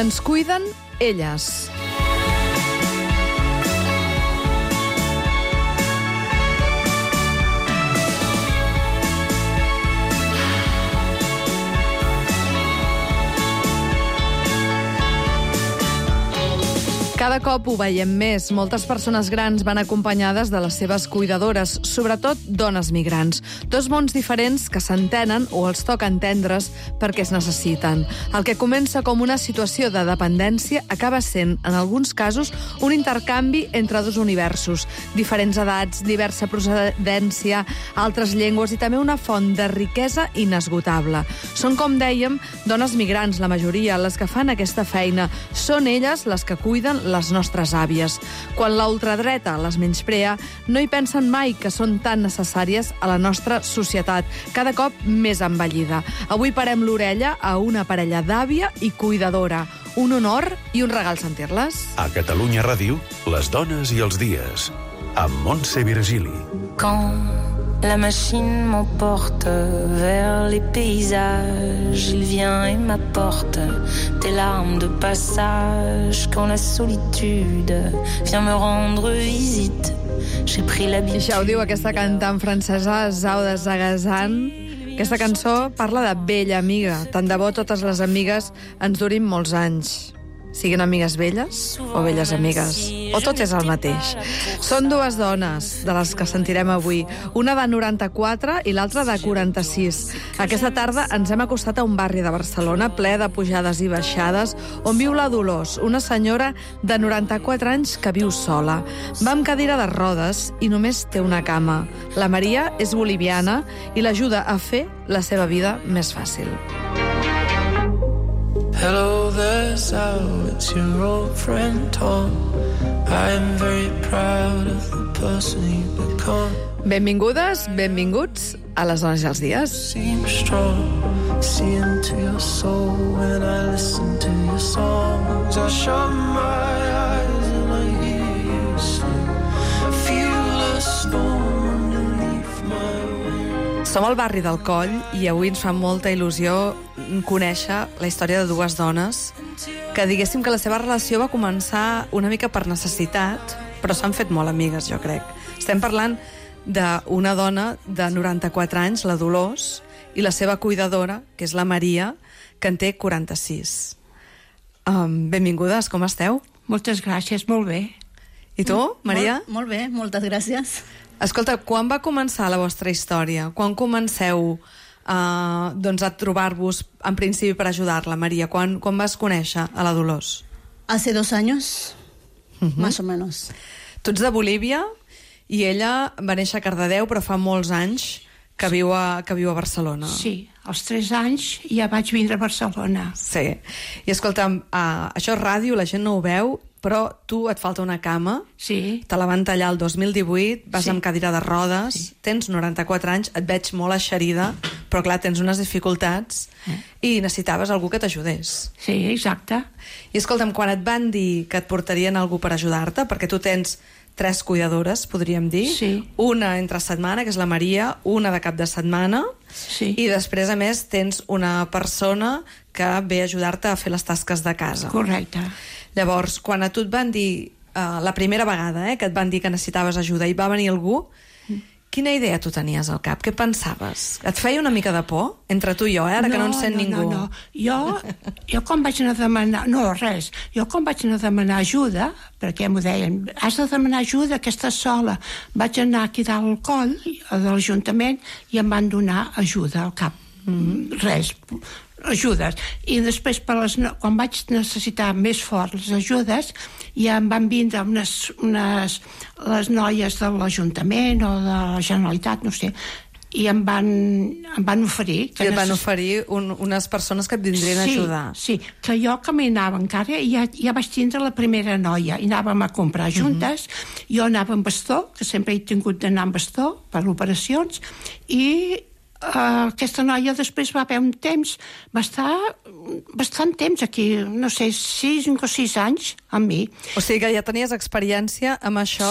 Ens cuiden elles. Cada cop ho veiem més. Moltes persones grans van acompanyades de les seves cuidadores, sobretot dones migrants. Dos mons diferents que s'entenen o els toca entendre's perquè es necessiten. El que comença com una situació de dependència acaba sent, en alguns casos, un intercanvi entre dos universos. Diferents edats, diversa procedència, altres llengües i també una font de riquesa inesgotable. Són, com dèiem, dones migrants, la majoria, les que fan aquesta feina. Són elles les que cuiden les nostres àvies. Quan la ultradreta les menysprea, no hi pensen mai que són tan necessàries a la nostra societat, cada cop més envellida. Avui parem l'orella a una parella d'àvia i cuidadora. Un honor i un regal sentir-les. A Catalunya Ràdio, les dones i els dies, amb Montse Virgili. Quand la machine m'emporte vers les paysages, il vient et m'apporte des larmes de passage. Quand la solitude vient me rendre visite, j'ai pris l'habitude... I això ho diu aquesta cantant francesa Zao de Sagazan. Aquesta cançó parla de vella amiga. Tant de bo totes les amigues ens durin molts anys. Siguin amigues velles o velles amigues. O tot és el mateix. Són dues dones de les que sentirem avui. Una de 94 i l'altra de 46. Aquesta tarda ens hem acostat a un barri de Barcelona ple de pujades i baixades on viu la Dolors, una senyora de 94 anys que viu sola. Va amb cadira de rodes i només té una cama. La Maria és boliviana i l'ajuda a fer la seva vida més fàcil. Hello there, Sal, it's your old friend Tom. I am very proud of the person you've become. Benvingudes, benvinguts a les dones i els dies. Seem strong, see into your soul when I listen to your songs. I shut my eyes and I hear you sing. I feel the storm underneath my wings. Som al barri del Coll i avui ens fa molta il·lusió conèixer la història de dues dones que diguéssim que la seva relació va començar una mica per necessitat, però s'han fet molt amigues, jo crec. Estem parlant d'una dona de 94 anys, la Dolors, i la seva cuidadora, que és la Maria, que en té 46. Benvingudes, com esteu? Moltes gràcies, molt bé. I tu, Maria? Molt bé, moltes gràcies. Escolta, quan va començar la vostra història? Quan comenceu doncs a trobar-vos en principi per ajudar-la, Maria? Quan vas conèixer a la Dolors? Hace 2 años, más o menos. Tu ets de Bolívia i ella va néixer a Cardedeu, però fa molts anys que viu a Barcelona. Sí, als 3 anys ja vaig vindre a Barcelona. Sí. I escolta'm, això és ràdio, la gent no ho veu, però tu et falta una cama. Sí. Te la van tallar el 2018, vas Sí. amb cadira de rodes, Sí. tens 94 anys, et veig molt eixerida, però clar, tens unes dificultats i necessitaves algú que t'ajudés. Sí, exacte. I escolta'm, quan et van dir que et portarien algú per ajudar-te, perquè tu tens 3 cuidadores, podríem dir, Sí. una entre setmana, que és la Maria, una de cap de setmana, Sí. i després, a més, tens una persona que ve a ajudar-te a fer les tasques de casa. Correcte. Llavors, quan a tu et van dir, la primera vegada que et van dir que necessitaves ajuda i va venir algú, quina idea tu tenies al cap? Què pensaves? Et feia una mica de por? Entre tu i jo, ara que no en sent ningú. No. Jo quan vaig anar a demanar... No, res. Jo quan vaig anar a demanar ajuda, perquè m'ho deien, has de demanar ajuda, que estàs sola. Vaig anar aquí dalt al coll, de l'Ajuntament, i em van donar ajuda al cap. Res, ajudes. I després, quan vaig necessitar més fort les ajudes, ja em van vindre les noies de l'Ajuntament o de la Generalitat, no sé, i em van oferir... I et van oferir unes persones que et vindrien a ajudar. Sí, que jo caminava encara i ja vaig tindre la primera noia i anàvem a comprar juntes. Jo anava amb bastó, que sempre he tingut d'anar amb bastó per operacions, i aquesta noia després va haver un temps, va estar bastant temps aquí, no sé, 5 o 6 anys amb mi. O sigui que ja tenies experiència amb això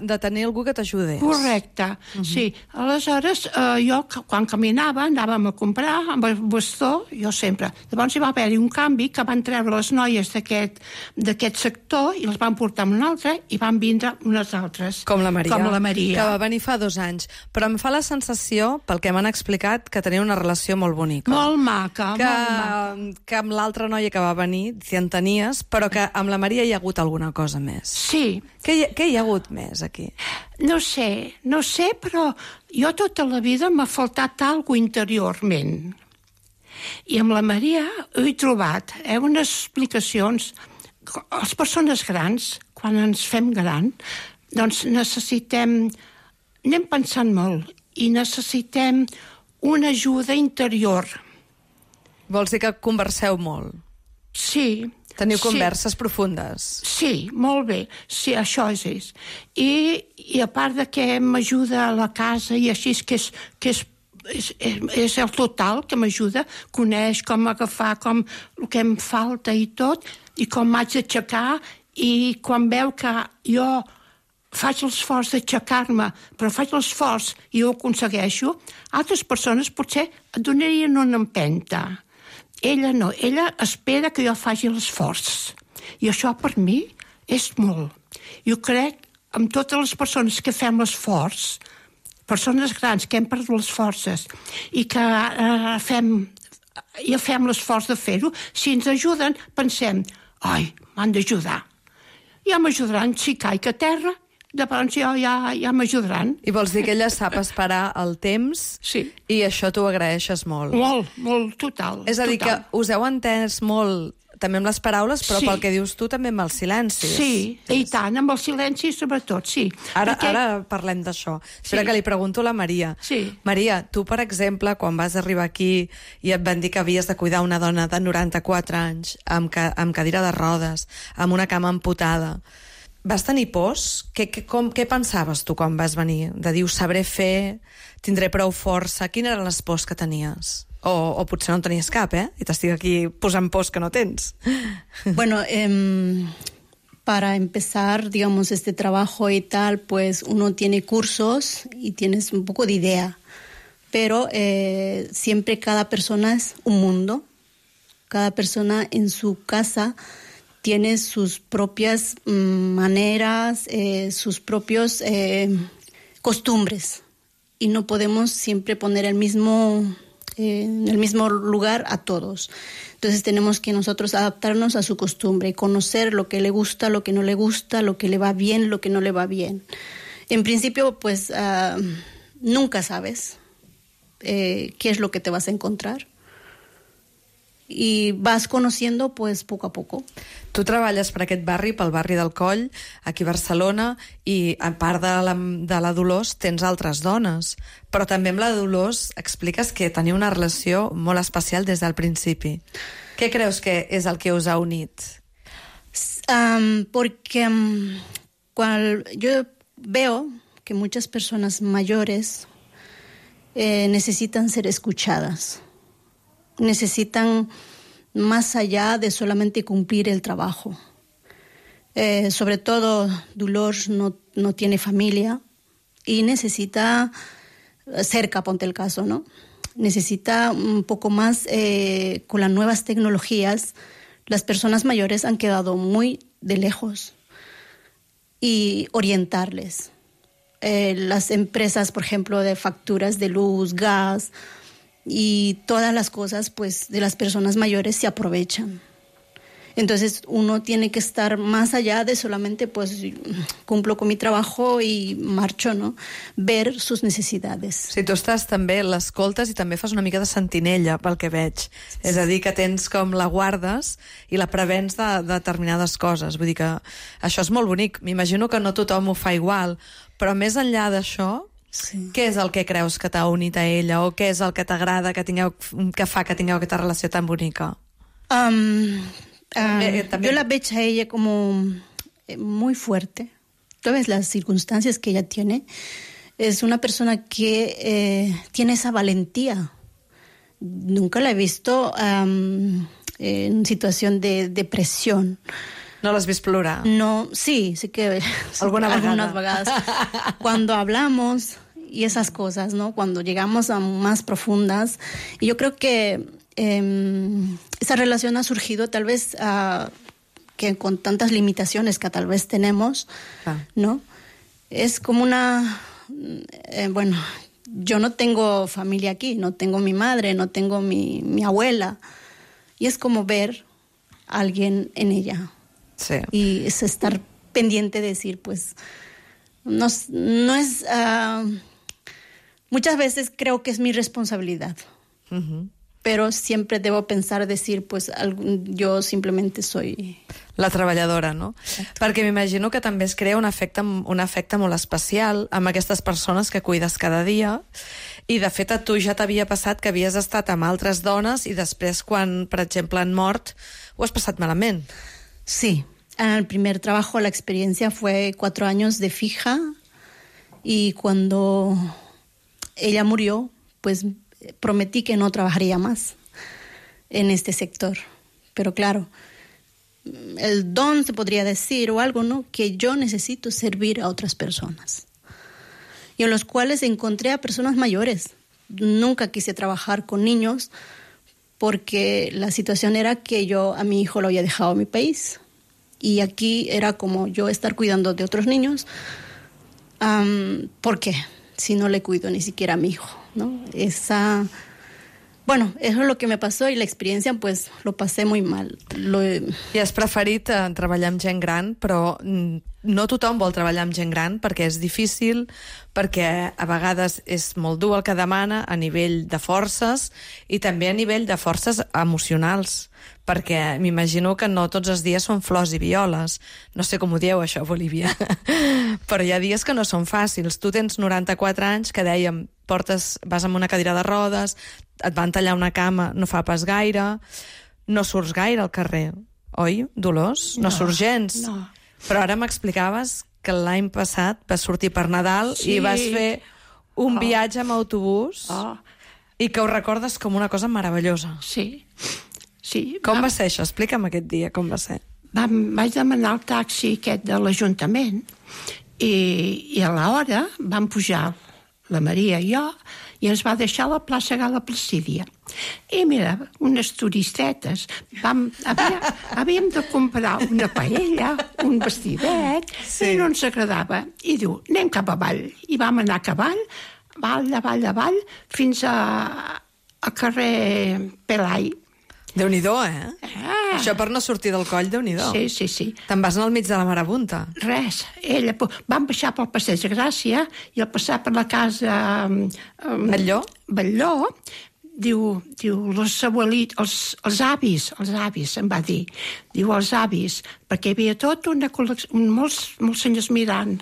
de tenir algú que t'ajudés. Correcte, sí. Aleshores, jo, quan caminava, anàvem a comprar amb el bastó, jo sempre. Llavors hi va haver-hi un canvi que van treure les noies d'aquest sector i les van portar a un altre i van vindre unes altres. Com la Maria. Com la Maria. Que va venir fa 2 anys. Però em fa la sensació, pel que m'han explicat, que tenia una relació molt bonica. Molt maca, molt maca. Que amb l'altra noia que va venir, si en tenies, però que amb la Maria hi ha hagut alguna cosa més. Sí. Què hi ha hagut més aquí? No sé, però jo tota la vida m'ha faltat alguna interiorment. I amb la Maria he trobat unes explicacions. Les persones grans, quan ens fem gran, doncs necessitem... Anem pensant molt i necessitem una ajuda interior. Vols dir que converseu molt? Sí. Teniu converses profundes. Sí, molt bé. Sí, això és. I a part de que m'ajuda a la casa i així, que és el total que m'ajuda, coneix com agafar, com el que em falta i tot, i com m'haig d'aixecar, i quan veu que jo faig l'esforç d'aixecar-me, però faig l'esforç i ho aconsegueixo, altres persones potser et donarien una empenta. Ella no, ella espera que jo faci l'esforç. I això per mi és molt. Jo crec, amb totes les persones que fem l'esforç, persones grans que hem perdut les forces i que fem l'esforç de fer-ho, si ens ajuden, pensem, ai, m'han d'ajudar. Ja m'ajudaran si caic a terra, llavors ja m'ajudaran. I vols dir que ella sap esperar el temps i això t'ho agraeixes molt. Molt, total. És a dir, que us heu entès molt també amb les paraules, però pel que dius tu també amb els silencis. Sí, i tant, amb els silencis sobretot, sí. Ara parlem d'això. Espera que li pregunto a la Maria. Sí. Maria, tu, per exemple, quan vas arribar aquí i et van dir que havies de cuidar una dona de 94 anys, amb cadira de rodes, amb una cama amputada, vas tenir pors? Què pensaves tu quan vas venir? De dir, ho sabré fer, tindré prou força... Quines eren les pors que tenies? O potser no en tenies cap, I t'estic aquí posant pors que no tens. Bueno, para empezar, digamos, este trabajo y tal, pues uno tiene cursos y tienes un poco de idea. Pero siempre cada persona es un mundo. Cada persona en su casa tiene sus propias maneras, sus propios costumbres. Y no podemos siempre poner en el mismo lugar a todos. Entonces tenemos que nosotros adaptarnos a su costumbre, conocer lo que le gusta, lo que no le gusta, lo que le va bien, lo que no le va bien. En principio, pues nunca sabes qué es lo que te vas a encontrar. I vas conociendo pues poco a poco. Tu treballes per aquest barri, pel barri del Coll, aquí a Barcelona, i a part de la Dolors tens altres dones, però també amb la Dolors expliques que teniu una relació molt especial des del principi. Què creus que és el que us ha unit? Porque yo veo que muchas personas mayores necesitan ser escuchadas. Necesitan más allá de solamente cumplir el trabajo. Sobre todo, Dolors no tiene familia y necesita, cerca, ponte el caso, ¿no? Necesita un poco más, con las nuevas tecnologías, las personas mayores han quedado muy de lejos y orientarles. Las empresas, por ejemplo, de facturas de luz, gas... y todas las cosas pues de las personas mayores se aprovechan. Entonces uno tiene que estar más allá de solamente pues cumplo con mi trabajo y marcho, ¿no? Ver sus necesidades. Si tu estàs també, l'escoltes i també fas una mica de sentinella pel que veig. És a dir, que tens com la guardes i la prevens de determinades coses. Vull dir que això és molt bonic. M'imagino que no tothom ho fa igual, però més enllà d'això, sí. Què és el que creus que t'ha unit a ella o què és el que t'agrada que fa que tingueu aquesta relació tan bonica? Yo la veo a ella como muy fuerte. Todas las circunstancias que ella tiene, es una persona que tiene esa valentía. Nunca la he visto en situación de depresión. No l'has vist plorar? No, sí que algunas vagadas. Cuando hablamos y esas cosas, ¿no? Cuando llegamos a más profundas. Y yo creo que esa relación ha surgido tal vez que con tantas limitaciones que tal vez tenemos, ¿no? Es como bueno, yo no tengo familia aquí, no tengo mi madre, no tengo mi abuela. Y es como ver a alguien en ella. Sí. Y es estar pendiente de decir, pues, no es... muchas veces creo que es mi responsabilidad. Uh-huh. Pero siempre debo pensar, decir, pues, yo simplemente soy... La treballadora, no? Exacte. Perquè m'imagino que també es crea un afecte molt especial amb aquestes persones que cuides cada dia, i de fet a tu ja t'havia passat que havies estat amb altres dones i després quan, per exemple, han mort, ho has passat malament. Sí, en el primer trabajo la experiencia fue 4 años de fija y cuando ella murió, pues prometí que no trabajaría más en este sector. Pero claro, el don se podría decir o algo, ¿no? Que yo necesito servir a otras personas. Y en los cuales encontré a personas mayores. Nunca quise trabajar con niños porque la situación era que yo a mi hijo lo había dejado en mi país. Y aquí era como yo estar cuidando de otros niños. ¿Por qué? Si no le cuido ni siquiera a mi hijo, ¿no? Bueno, eso es lo que me pasó y la experiencia, pues, lo pasé muy mal. I has preferit treballar amb gent gran, però no tothom vol treballar amb gent gran perquè és difícil, perquè a vegades és molt dur el que demana a nivell de forces i també a nivell de forces emocionals, perquè m'imagino que no tots els dies són flors i violes. No sé com ho dieu, això, Bolívia. Però hi ha dies que no són fàcils. Tu tens 94 anys, que dèiem, vas amb una cadira de rodes, et van tallar una cama no fa pas gaire, no surts gaire al carrer, oi, Dolors? No surts gens. No. Però ara m'explicaves que l'any passat vas sortir per Nadal i vas fer un viatge amb autobús i que ho recordes com una cosa meravellosa. Sí. Com va ser això? Explica'm aquest dia, com va ser. Vaig demanar el taxi aquest de l'Ajuntament i a l'hora vam pujar la Maria i jo, i ens va deixar a la plaça Gala Placídia. I mira, unes turistetes, havíem de comprar una paella, un vestidet, i no ens agradava. I diu, anem cap avall. I vam anar a cavall, avall, fins a carrer Pelai. Déu-n'hi-do, Això per no sortir del coll, Déu-n'hi-do. Sí. Te'n vas anar al mig de la marabunta. Res. Vam baixar pel Passeig de Gràcia i al passar per la casa... Batlló, diu els avis, em va dir. Diu els avis, perquè hi havia tot una col·lecció, molts senyors mirant,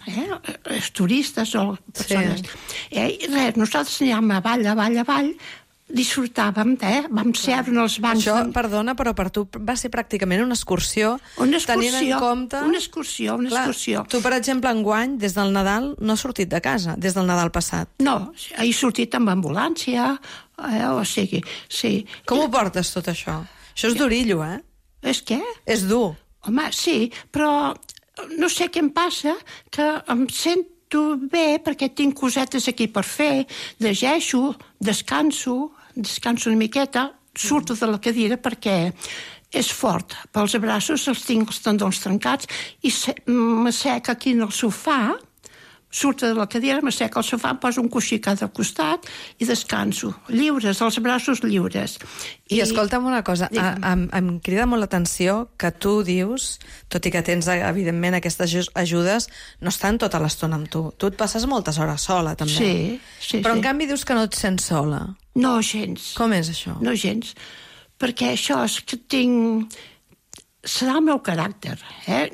turistes o persones. I res, nosaltres anàvem avall, disfrutàvem, vam seure en els bancs... Això, perdona, però per tu va ser pràcticament una excursió. Tenint en compte... Una excursió. Tu, per exemple, enguany, des del Nadal, no has sortit de casa, des del Nadal passat. No, he sortit amb ambulància, o sigui, sí. Com ho portes, tot això? Això és durillo, És què? És dur. Home, sí, però no sé què em passa, que em sento bé perquè tinc cosetes aquí per fer, llegeixo, descanso una miqueta, surto de la cadira perquè és fort. Pels braços els tinc els tendons trencats i m'assec aquí en el sofà, surto de la cadira, m'assec al sofà, em poso un coixí a cada costat i descanso. Lliures, els braços lliures. I escolta'm una cosa, em crida molt l'atenció que tu dius, tot i que tens, evidentment, aquestes ajudes, no estan tota l'estona amb tu. Tu et passes moltes hores sola, també. Sí. Però en canvi dius que no et sents sola. No, gens. Com és això? No, gens. Perquè això és que tinc... Serà el meu caràcter,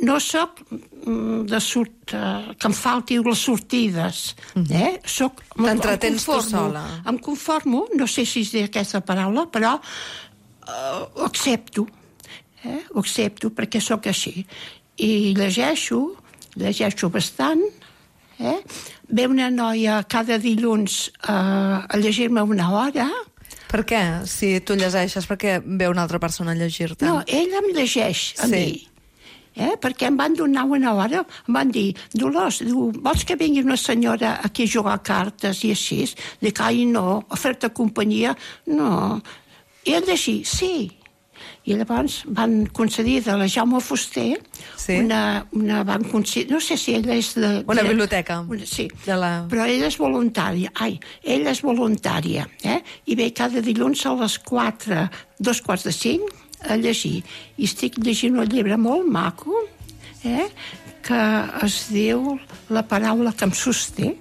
No soc que em falti les sortides, T'entretens tu sola. Em conformo, no sé si és aquesta paraula, però ho accepto. Ho accepto perquè sóc així. I llegeixo bastant, Ve una noia cada dilluns a llegir-me una hora. Per què? Si tu llegeixes, per què ve una altra persona a llegir-te? No, ella em llegeix a mi. perquè em van donar una hora, em van dir, Dolors, vols que vingui una senyora aquí a jugar a cartes i així? Dic, ai, no, a fer-te companyia, no. I ell així, sí. I llavors van concedir de la Jaume Fuster una van concedir, no sé si ella és de... Una biblioteca. Sí, però ella és voluntària. Ella és voluntària, i ve cada dilluns a les 4, 4:45, a llegir. I estic llegint un llibre molt maco, que es diu La paraula que em sosté.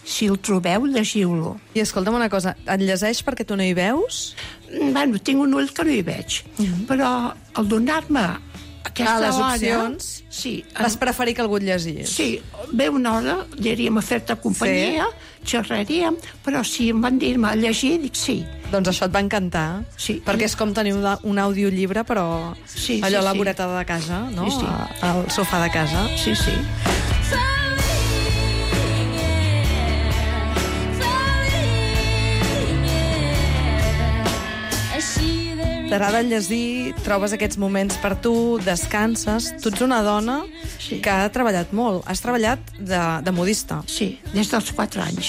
Si el trobeu, llegiu-lo. I escolta'm una cosa, et llegeix perquè tu no hi veus? Bueno, tinc un ull que no hi veig, però al donar-me aquesta les hora... opcions, sí, vas preferir que algú et llegís. Sí, ve una hora, aniríem a fer-te companyia, xerraríem, però si em van dir-me a llegir, dic sí. Doncs això et va encantar, perquè és com tenir un audiollibre, però allò a la voreta de casa, no? Al sofà de casa. Sí, sí. T'agrada llegir, trobes aquests moments per tu, descanses. Tu ets una dona que ha treballat molt. Has treballat de modista. Sí, des dels 4 anys.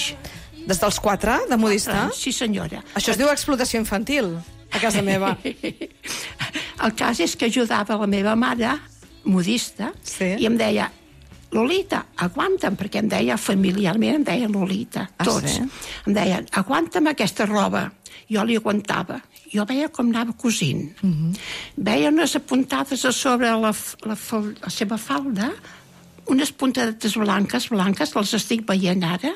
Des dels 4, de modista? Sí, senyora. Això es diu explotació infantil, a casa meva. El cas és que ajudava la meva mare, modista, i em deia, Lolita, aguanta'm, perquè em deia familiarment, em deia Lolita, tots. Em deien, aguanta'm aquesta roba. Jo li aguantava. Jo veia com anava cosint. Veia unes apuntades a sobre la seva falda, unes puntadetes blanques, les estic veient ara,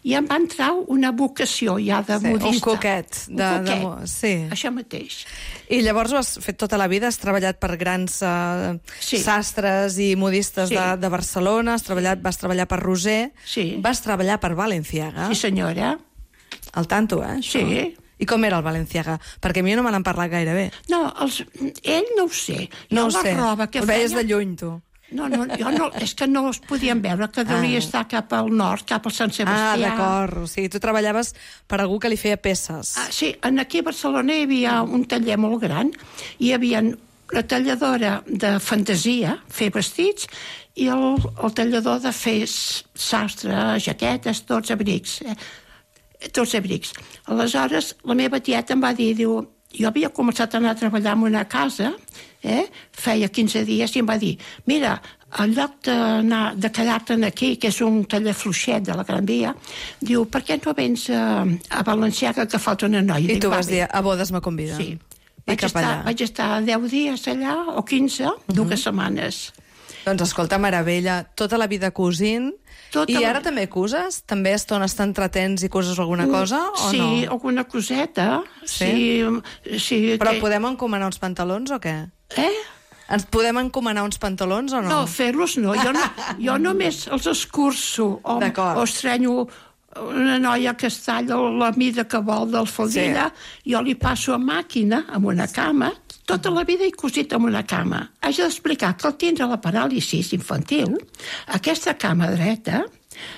i em va entrar una vocació ja de modista. Un coquet. Sí. Això mateix. I llavors ho has fet tota la vida, has treballat per grans sastres i modistes de Barcelona, vas treballar per Roser, vas treballar per Balenciaga. Sí, senyora. Al tanto, això? Sí. I com era el Balenciaga? Perquè a mi no me n'han parlat gaire bé. No, ell no ho sé. No ho sé. El veies de lluny, tu. No, jo no, és que no es podien veure, que devia estar cap al nord, cap al Sant Sebastià. D'acord. O sigui, tu treballaves per algú que li feia peces. Sí, aquí a Barcelona hi havia un taller molt gran, hi havia la talladora de fantasia, fer vestits, i el tallador de fer sastre, jaquetes, tots abrics. Aleshores, la meva tieta em va dir, jo havia començat a anar a treballar en una casa, feia 15 dies, i em va dir, mira, en lloc de quedar-te aquí, que és un taller fluixet de la Gran Via, diu, per què no vens a Balenciaga que falta una noia? I tu vas dir, a bodes me conviden. Sí. Vaig estar 10 dies allà, o 15, 2 setmanes. Doncs escolta, meravella, tota la vida cosint. I ara també coses? També estones t'entretens i coses alguna cosa, o no? Sí, alguna coseta. Sí. Però podem encomanar uns pantalons o què? Ens podem encomanar uns pantalons o no? No, fer-los no. Jo només els escurço o estrenyo una noia que es talla la mida que vol del faldilla, jo li passo a màquina amb una cama. Tota la vida he cosit amb una cama. Haig d'explicar que al tindre la paràlisi infantil, aquesta cama dreta,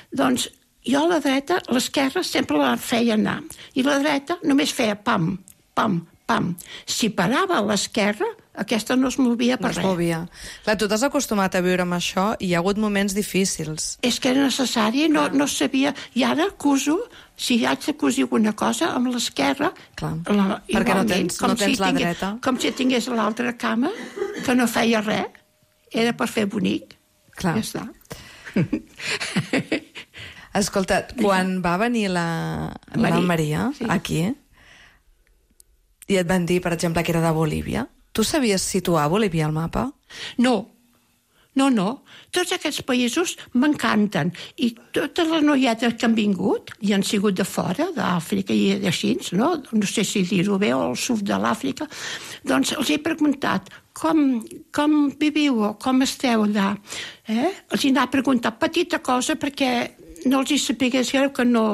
doncs jo la dreta, l'esquerra sempre la feia anar, i la dreta només feia pam, pam, pam. Si parava a l'esquerra, aquesta no es movia per res. No es movia. Clar, tu t'has acostumat a viure amb això i hi ha hagut moments difícils. És que era necessari, no sabia. I ara coso, si haig de cosir alguna cosa, amb l'esquerra... Clar, perquè no tens la dreta. Com si tingués l'altra cama, que no feia res. Era per fer bonic. Clar. Ja està. Escolta, quan va venir la Maria aquí, i et van dir, per exemple, que era de Bolívia, tu sabies situar Bolívia al mapa? No. Tots aquests països m'encanten. I totes les noietes que han vingut, i han sigut de fora, d'Àfrica i d'així, no sé si dir-ho bé, o al sud de l'Àfrica, doncs els he preguntat com viviu o com esteu allà. Els he anat preguntant petita cosa perquè no els hi sapigués que no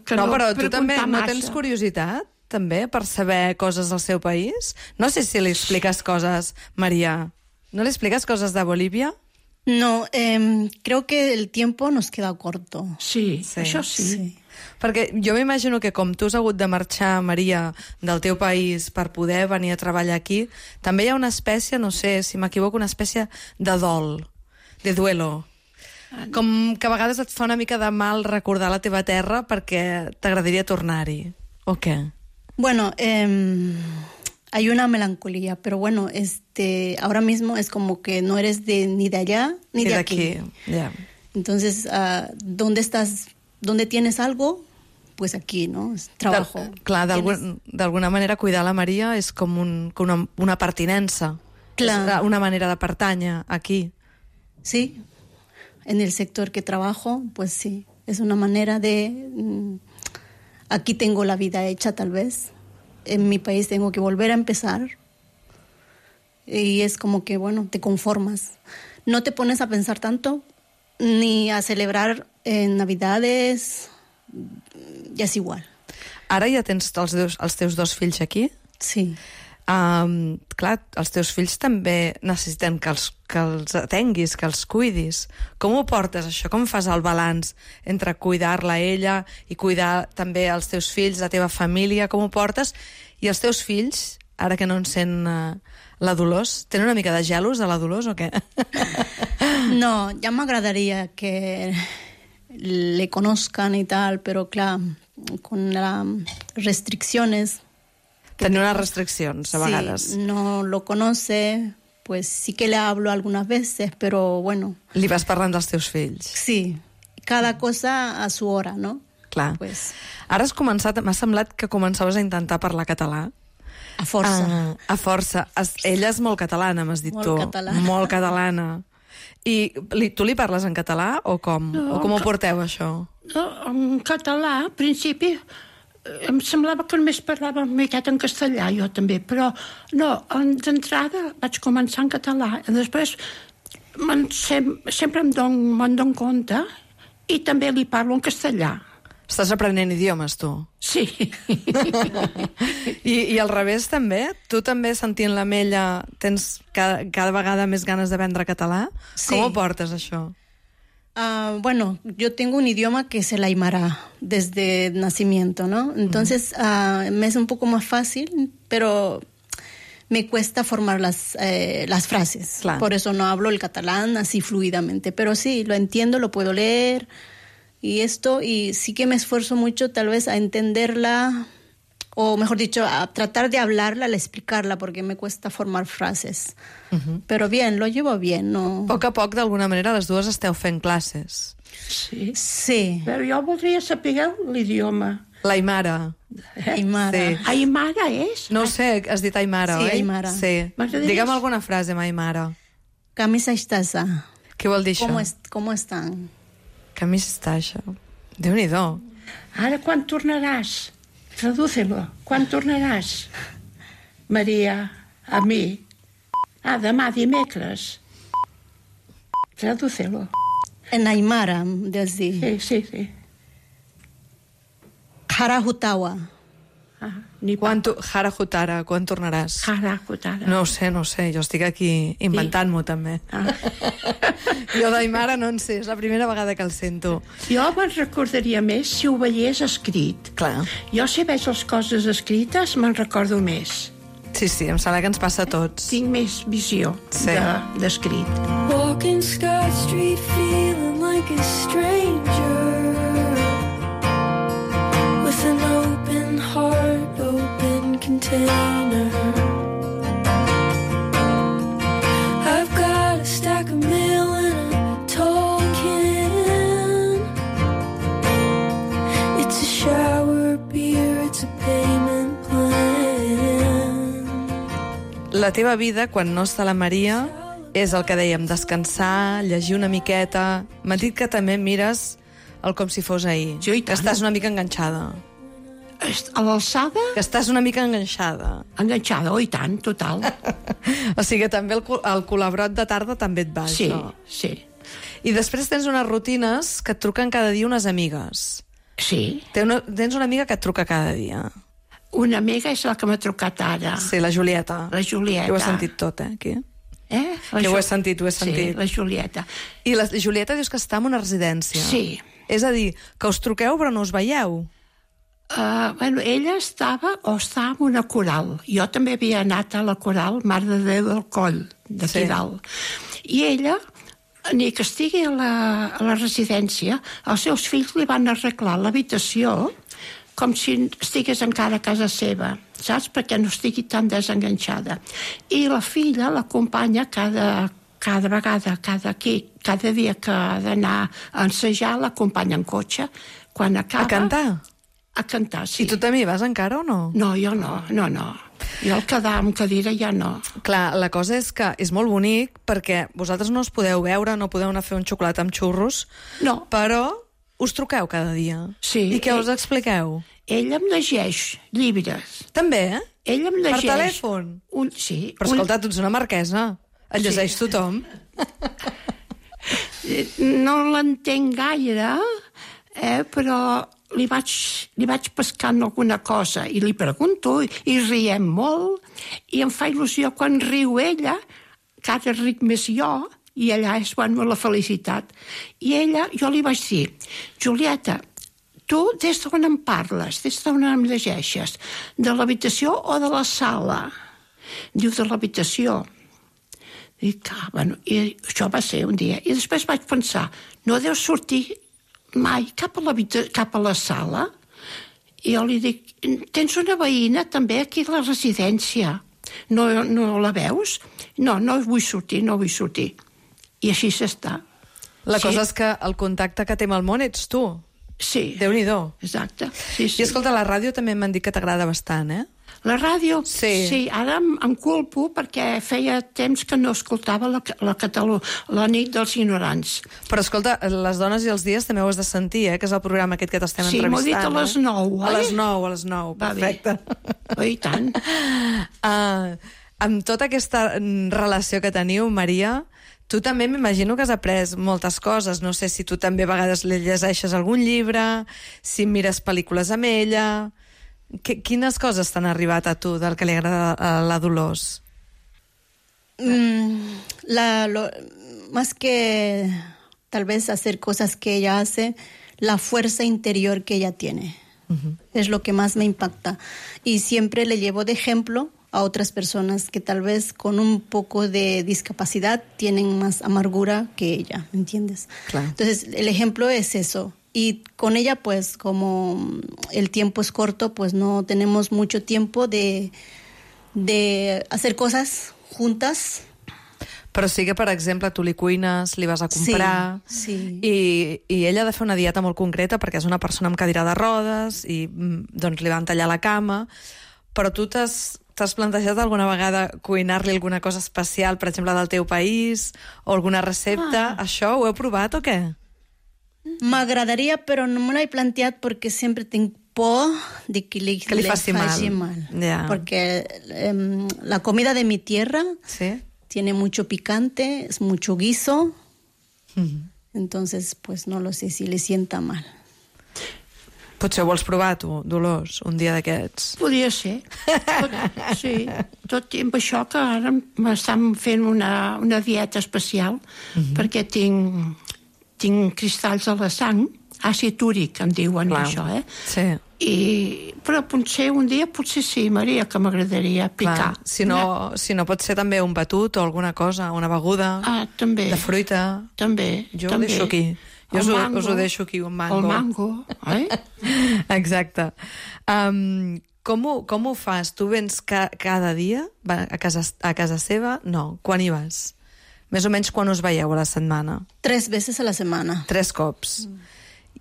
però tu també no tens curiositat? També, per saber coses del seu país? No sé si li expliques coses, Maria. No li expliques coses de Bolívia? No, creo que el tiempo nos queda corto. Sí, Sí. això sí. Perquè jo m'imagino que com tu has hagut de marxar, Maria, del teu país per poder venir a treballar aquí, també hi ha una espècie, no sé si m'equivoco, una espècie de dol, de duelo. Com que a vegades et fa una mica de mal recordar la teva terra perquè t'agradaria tornar-hi. O què? Bueno, hay una melancolía, pero bueno, ahora mismo es como que no eres ni de allá ni de aquí. Ja. Entonces, ¿dónde estás? ¿Dónde tienes algo? Pues aquí, ¿no? Es trabajo. Clar, d'alguna manera cuidar la Maria és com una pertinença. Clar. És una manera de pertànyer aquí. Sí, en el sector que trabajo, pues sí, es una manera de... aquí tengo la vida hecha, tal vez. En mi país tengo que volver a empezar. Y es como que, bueno, te conformas. No te pones a pensar tanto, ni a celebrar en Navidades, ja és igual. Ara ja tens els teus dos fills aquí? Sí. Clar, els teus fills també necessiten que els atenguis, que els cuidis. Com ho portes, això? Com fas el balanç entre cuidar-la a ella i cuidar també els teus fills, la teva família? Com ho portes? I els teus fills, ara que no en sent la Dolors, tenen una mica de gelos de la Dolors o què? No, ya me agradaría que le conozcan y tal, pero claro, con las restricciones... Tenir unes restriccions, a vegades. Sí, no lo conoce, pues sí que le hablo algunas veces, pero bueno... Li vas parlant dels teus fills. Sí, cada cosa a su hora, ¿no? Clar. Pues, Ara has començat, m'ha semblat que començaves a intentar parlar català. a força. A força. Ella és molt catalana, m'has dit Molt tu. catalana. Molt catalana. I tu li parles en català o com? No, o com ho porteu, això? No, en català, al principi, em semblava que només parlava una miqueta en castellà, jo també, però no, d'entrada vaig començar en català, i després sempre me'n dono compte i també li parlo en castellà. Estàs aprenent idiomes, tu? Sí. I al revés, també? Tu també, sentint la Mella, tens cada vegada més ganes d'aprendre català? Sí. Com ho portes, això? Bueno, yo tengo un idioma que es el aymara desde nacimiento, ¿no? Entonces me es un poco más fácil, pero me cuesta formar las frases. Claro. Por eso no hablo el catalán así fluidamente, pero sí, lo entiendo, lo puedo leer y sí que me esfuerzo mucho tal vez a entenderla, o mejor dicho, a tratar de hablarla, a explicarla, porque me cuesta formar frases. Però bien, lo llevo bien, no... A poc, d'alguna manera, les dues esteu fent classes. Sí. Sí. Però jo voldria saber l'idioma. L'aimara. Aymara. Sí. Aimara és? No ho sé, has dit aimara, Sí, oi? aimara. Sí. M'agradaria- Digue'm alguna frase amb aimara. Camisa estasa. Què vol dir això? ¿Cómo están? Camisa estaixa. Déu-n'hi-do. Ara quan tornaràs? Tradúcelo. Quan tornaràs? Maria, a mi. Demà, dimecres. Tradúcelo. En aymara, desde Sí. Jarahutawa. Hara Hutara, quan tornaràs? Jarahutara. No ho sé, jo estic aquí inventant-m'ho, també. Jo d'aimara no en sé, és la primera vegada que el sento. Jo me'n recordaria més si ho veiés escrit. Clar. Jo si veig les coses escrites me'n recordo més. Sí, em sembla que ens passa a tots. Tinc més visió Sí. d'escrit. Walking Scott Street feeling like a stranger with an open heart, open container. I've got a stack of mail in a tall can. It's a shower beer, it's a payment plan. La teva vida, quan no està la Maria, és el que dèiem, descansar, llegir una miqueta... M'ha dit que també mires el com si fos ahir. Sí, i que tant. estàs una mica enganxada. A l'alçada, Que estàs una mica enganxada. enganxada, i tant, total. O sigui que també el colabrot de tarda també et va, Sí, això. sí. I després tens unes rutines que et truquen cada dia unes amigues. Sí. Tens una amiga que et truca cada dia. Una amiga és la que m'ha trucat ara. Sí, la Julieta. La Julieta. Que ho has sentit tot, aquí. Que ho he sentit. Sí, la Julieta. I la Julieta dius que està en una residència. Sí. És a dir, que us truqueu però no us veieu. Ella està en una coral. Jo també havia anat a la coral Mare de Déu del Coll, d'aquí dalt. I ella, ni que estigui a la residència, els seus fills li van arreglar l'habitació com si estigués encara a casa seva, saps? Perquè no estigui tan desenganxada. I la filla l'acompanya cada vegada, cada dia que ha d'anar a ensejar, l'acompanya en cotxe. Quan acaba... A cantar? A cantar, sí. I tu també hi vas encara o no? No, jo no. Jo el quedar amb cadira ja no. Clar, la cosa és que és molt bonic perquè vosaltres no us podeu veure, no podeu anar a fer un xocolat amb xurros, no. Però us truqueu cada dia. Sí. I què us expliqueu? Ell em llegeix llibres. També, eh? Ell em llegeix... Per telèfon? Sí. Però escolta, tu ets una marquesa. Et llegeix tothom. No l'entenc gaire, però li vaig pescant alguna cosa i li pregunto i riem molt i em fa il·lusió quan riu ella, que ara ric més jo, i allà és la felicitat. I ella, jo li vaig dir, Julieta, tu des d'on em parles, des d'on em llegeixes, de l'habitació o de la sala? Diu, de l'habitació. I això va ser un dia. I després vaig pensar, no deu sortir mai cap a la sala? I jo li dic, tens una veïna també aquí a la residència, no la veus? No vull sortir. I així s'està. La cosa és que el contacte que té amb el món ets tu. Sí. Déu-n'hi-do. Exacte. Sí. I escolta, la ràdio també m'han dit que t'agrada bastant, eh? La ràdio? Sí. Ara em culpo perquè feia temps que no escoltava la nit dels ignorants. Però escolta, Les dones i els dies també ho has de sentir, que és el programa aquest que t'estem entrevistant. Sí, m'ho he dit a les 9, A les 9, perfecte. I tant. Amb tota aquesta relació que teniu, Maria, tu també m'imagino que has après moltes coses. No sé si tu també a vegades li llegeixes algun llibre, si mires pel·lícules amb ella... Quines coses t'han arribat a tu del que li agrada a la Dolors? Más que tal vez hacer cosas que ella hace, la fuerza interior que ella tiene. Es lo que más me impacta. Y siempre le llevo de ejemplo a otras personas que tal vez con un poco de discapacidad tienen más amargura que ella, ¿me entiendes? Claro. Entonces, el ejemplo es eso. Y con ella, pues, como el tiempo es corto, pues no tenemos mucho tiempo de hacer cosas juntas. Però sí que, per exemple, tu li cuines, li vas a comprar... Sí. I ella ha de fer una dieta molt concreta perquè és una persona amb cadira de rodes i doncs li van tallar la cama. Però tu t'has plantejat alguna vegada cuinar-li alguna cosa especial, per exemple, del teu país, o alguna recepta? Això ho heu provat o què? M'agradaria, però no me l'he planteat perquè sempre tinc por de que li faci mal. Yeah. Porque la comida de mi tierra tiene mucho picante, es mucho guiso. Entonces, pues no lo sé si le sienta mal. Potser ho vols provar, tu, Dolors, un dia d'aquests? Podria ser. Sí. Tot i amb això que ara m'estan fent una dieta especial perquè tinc cristalls a la sang, àcid úric, em diuen. Clar. Això, Sí. Però potser un dia, sí, Maria, que m'agradaria picar. Clar. Si no pot ser també un batut o alguna cosa, una beguda també. De fruita. També. Jo ho deixo aquí. Us ho deixo aquí, un mango. El mango, Exacte. Com ho fas? Tu vens cada dia a casa seva? No. Quan hi vas? Més o menys quan us veieu a la setmana? 3 veces a la setmana. 3 cops.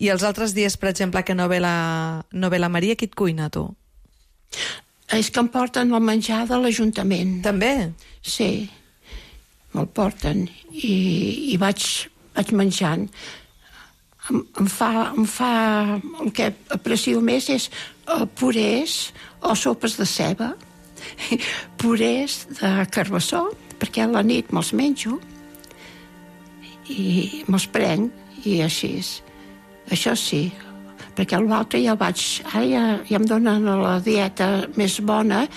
I els altres dies, per exemple, que no ve la Maria, qui et cuina, tu? És que em porten el menjar de l'Ajuntament. També? Sí, me'l porten i vaig menjant. Em fa el que aprecio més és purés o sopes de ceba, purés de carbassó, perquè a la nit me'ls menjo i me'ls prenc i així. Això sí, perquè l'altre ja em donen la dieta més bona,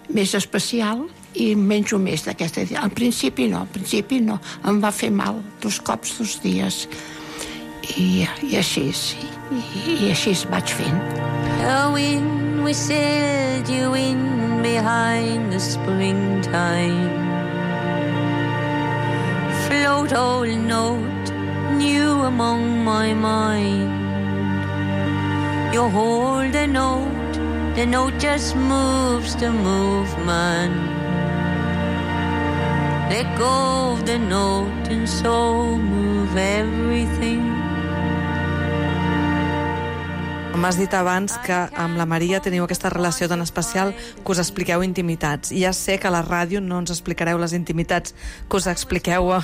més especial, i menjo més d'aquesta dieta. Al principi no, em va fer mal 2 cops 2 dies i així vaig fent. The wind whistled you in behind the springtime. Float old note new among my mind. You hold the note just moves the movement. Let go of the note and so move everything. M'has dit abans que amb la Maria teniu aquesta relació tan especial que us expliqueu intimitats. I ja sé que a la ràdio no ens explicareu les intimitats que us expliqueu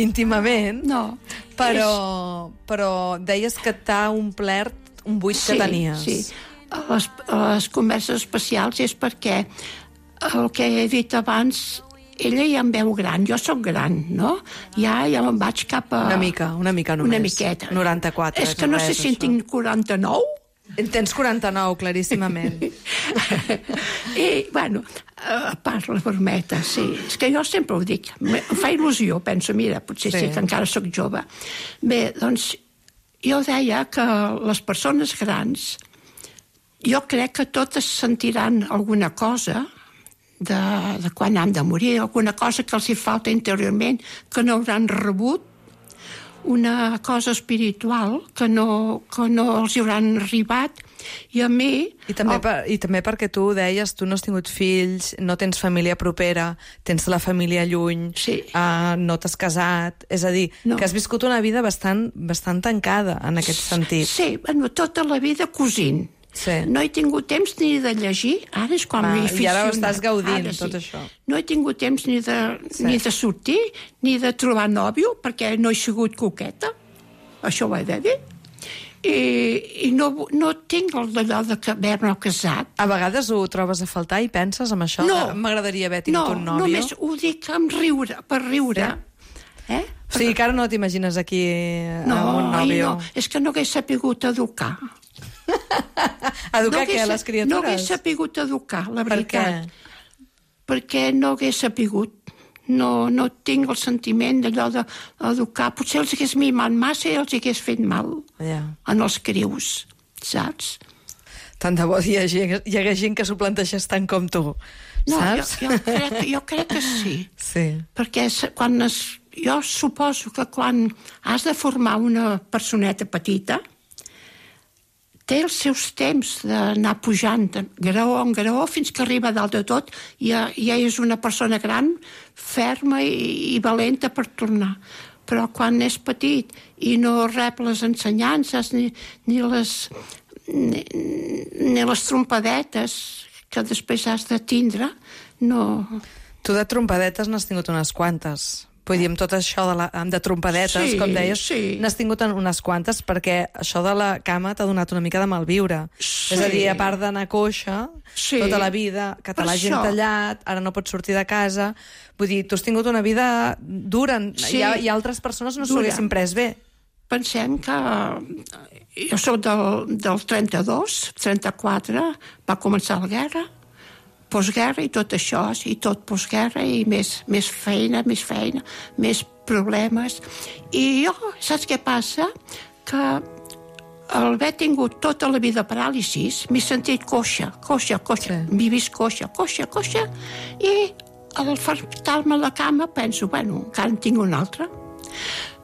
íntimament. No. Però deies que t'ha omplert un buit que tenies. Sí, les converses especials és perquè el que he dit abans, ella ja em veu gran, jo sóc gran, no? Ja me'n vaig cap a... Una mica només. Una miqueta. 94. És que no sé si en tinc 49. Tens 49, claríssimament. I, bueno, a part la brometa, sí. És que jo sempre ho dic. Em fa il·lusió, penso, mira, potser sí que encara sóc jove. Bé, doncs, jo deia que les persones grans, jo crec que totes sentiran alguna cosa de quan han de morir, alguna cosa que els hi falta interiorment, que no hauran rebut, una cosa espiritual que no els hi hauran arribat, i a mi... I també perquè tu deies, tu no has tingut fills, no tens família propera, tens la família lluny, no t'has casat, és a dir, que has viscut una vida bastant tancada en aquest sentit. Sí, bueno, tota la vida cosint. Sí. No he tingut temps ni de llegir, ara és quan m'he aficionat. I ara ho estàs gaudint, tot això. No he tingut temps ni de sortir, ni de trobar nòvio, perquè no he sigut coqueta, això ho he de dir. I no tinc allò d'haver-me casat. A vegades ho trobes a faltar i penses en això? No. M'agradaria haver tingut un nòvio? No, només ho dic per riure. O sigui que ara no t'imagines aquí amb un nòvio? No, és que no hagués sapigut educar. Educar què, les criatures? No hagués sapigut educar, la veritat. Per què? Perquè no hagués sapigut. No tinc el sentiment d'allò d'educar. Potser els hagués mimat massa i els hagués fet mal en els crius, saps? Tant de bo hi hagués gent que s'ho planteixés tant com tu, saps? Jo crec que sí. Perquè jo suposo que quan has de formar una personeta petita, té els seus temps d'anar pujant graó en graó fins que arriba dalt de tot i ja és una persona gran, ferma i valenta per tornar. Però quan és petit i no rep les ensenyances ni les trompadetes que després has de tindre, no... Tu de trompadetes n'has tingut unes quantes. Vull dir, amb tot això de trompadetes, com deies, n'has tingut unes quantes, perquè això de la cama t'ha donat una mica de malviure. És a dir, a part d'anar coixa tota la vida, que te l'hagin tallat, ara no pots sortir de casa... Vull dir, tu has tingut una vida dura, i altres persones no s'ho haguessin pres bé. Pensem que jo soc del 32, 34, va començar la guerra, postguerra i tot això, i tot postguerra, i més feina, més problemes. I jo, saps què passa? Que al haver tingut tota la vida paràlisis, m'he sentit coixa. M'he vist coixa, i al fartar-me a la cama penso, bueno, encara en tinc una altra.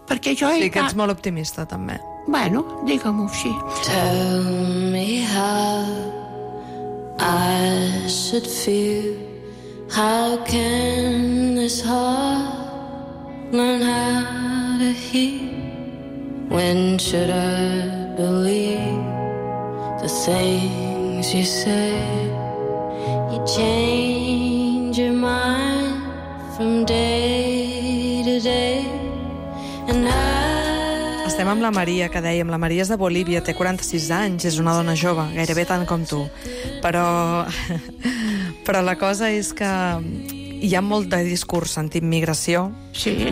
Perquè jo... Sí, que ets molt optimista, també. Bueno, digue-m'ho així. Tell me how I should feel. How can this heart learn how to heal? When should I believe the things you say? You change your mind from day to day, and Estem amb la Maria, que dèiem. La Maria és de Bolívia, té 46 anys, és una dona jove, gairebé tant com tu. Però la cosa és que hi ha molt de discurs antiimmigració,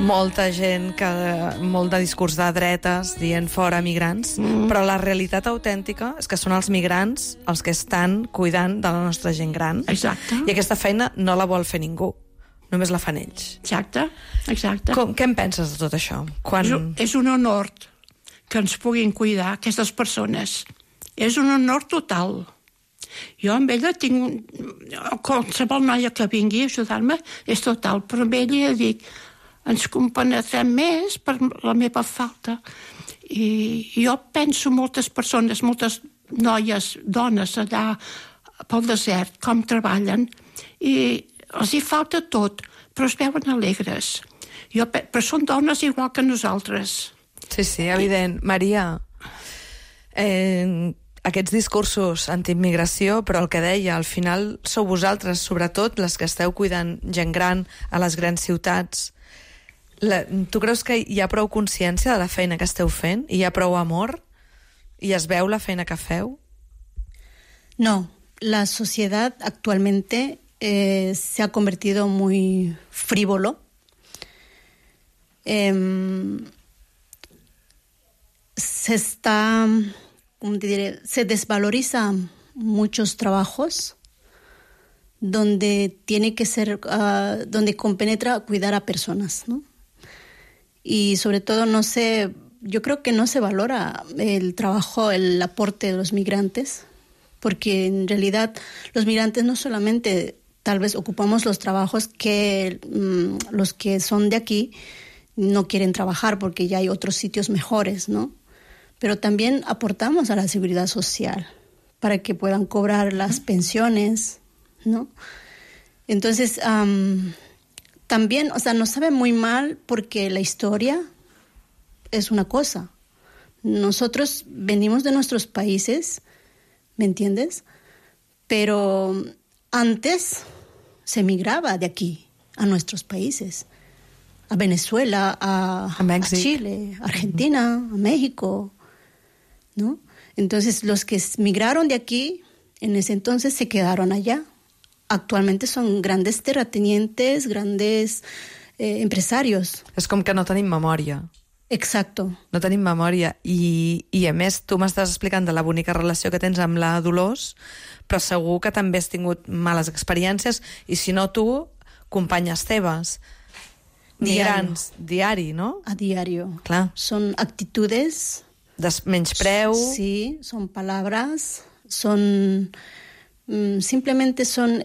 molt de discurs de dretes dient fora migrants, però la realitat autèntica és que són els migrants els que estan cuidant de la nostra gent gran. Exacte. I aquesta feina no la vol fer ningú, només la fan ells. Exacte. Què en penses de tot això? És un honor que ens puguin cuidar aquestes persones. És un honor total. Jo amb ella tinc... Qualsevol noia que vingui a ajudar-me és total, però amb ella dic, ens compenetrem més per la meva falta. I jo penso moltes persones, moltes noies, dones allà pel desert, com treballen, i els hi falta tot, però es veuen alegres. Però són dones igual que nosaltres. Sí, evident. Maria, aquests discursos antiimmigració, però el que deia, al final sou vosaltres, sobretot les que esteu cuidant gent gran a les grans ciutats. Tu creus que hi ha prou consciència de la feina que esteu fent? Hi ha prou amor? I es veu la feina que feu? No, la sociedad actualmente se ha convertido muy frívolo. Se desvaloriza muchos trabajos donde tiene que ser, donde compenetra cuidar a personas, ¿no? Y sobre todo yo creo que no se valora el trabajo, el aporte de los migrantes, porque en realidad los migrantes no solamente tal vez ocupamos los trabajos que los que son de aquí no quieren trabajar porque ya hay otros sitios mejores, ¿no? Pero también aportamos a la seguridad social para que puedan cobrar las pensiones, ¿no? Entonces, también, nos sabe muy mal porque la historia es una cosa. Nosotros venimos de nuestros países, ¿me entiendes? Pero antes se migraba de aquí a nuestros países, a Venezuela, a Chile, a Argentina, a México, ¿no? Entonces, los que migraron de aquí, en ese entonces se quedaron allá. Actualmente son grandes terratenientes, grandes empresarios. És com que no tenim memòria. Exacto. No tenim memòria. I a més, tu m'estàs explicant de la bonica relació que tens amb la Dolors, però segur que també has tingut males experiències, i si no tu, companyes teves. Migrants, diari, ¿no? A diario. Clar. Son actitudes... menyspreu. Sí, son palabras, simplemente son...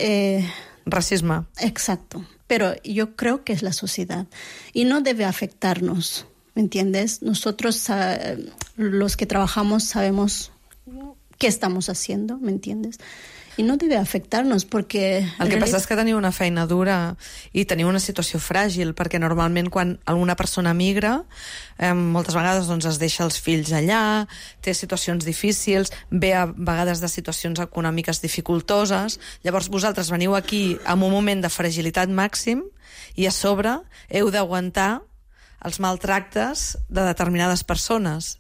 Racisme. Exacto. Pero yo creo que es la sociedad. Y no debe afectarnos, ¿me entiendes? Nosotros, los que trabajamos, sabemos qué estamos haciendo, ¿me entiendes? I no debe afectar-nos perquè... El que passa és que teniu una feina dura i teniu una situació fràgil, perquè normalment quan alguna persona migra, moltes vegades es deixa els fills allà, té situacions difícils, ve a vegades de situacions econòmiques dificultoses, llavors vosaltres veniu aquí en un moment de fragilitat màxim i a sobre heu d'aguantar els maltractes de determinades persones.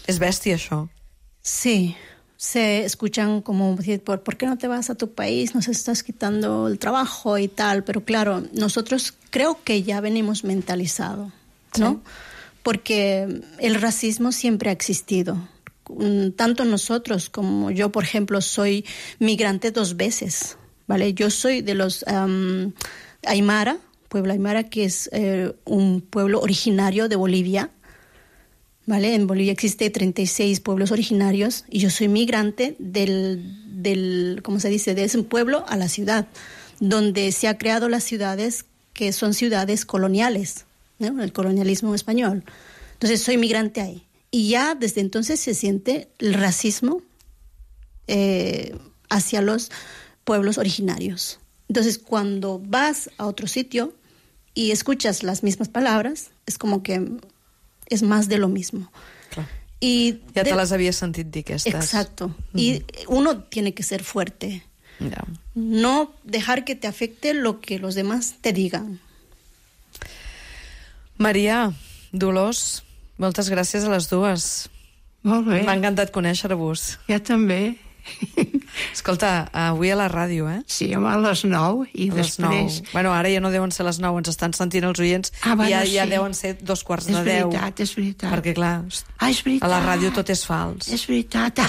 És bèstia, això. Sí. Se escuchan como decir, ¿por qué no te vas a tu país? Nos estás quitando el trabajo y tal. Pero claro, nosotros creo que ya venimos mentalizados, ¿no? Sí. Porque el racismo siempre ha existido. Tanto nosotros como yo, por ejemplo, soy migrante 2 veces, ¿vale? Yo soy de los Aymara, pueblo Aymara, que es un pueblo originario de Bolivia. ¿Vale? En Bolivia existe 36 pueblos originarios y yo soy migrante ¿cómo se dice? De ese pueblo a la ciudad, donde se ha creado las ciudades que son ciudades coloniales, ¿no? El colonialismo español. Entonces soy migrante ahí. Y ya desde entonces se siente el racismo hacia los pueblos originarios. Entonces cuando vas a otro sitio y escuchas las mismas palabras, es como que... es más de lo mismo. Clar. Ja te les havies sentit dir, aquestes. Exacto. Y uno tiene que ser fuerte. Ja. No dejar que te afecte lo que los demás te digan. Maria, Dolors, moltes gràcies a les dues. Molt bé. M'ha encantat conèixer-vos. Ja també. Escolta, avui a la ràdio, Sí, home, a les 9 i A les després... 9. Bueno, ara ja no deuen ser les 9, ens estan sentint els oients, bueno, ja deuen ser 2:15 de 10. És veritat. Perquè, clar, És veritat. a la ràdio tot és fals. És veritat.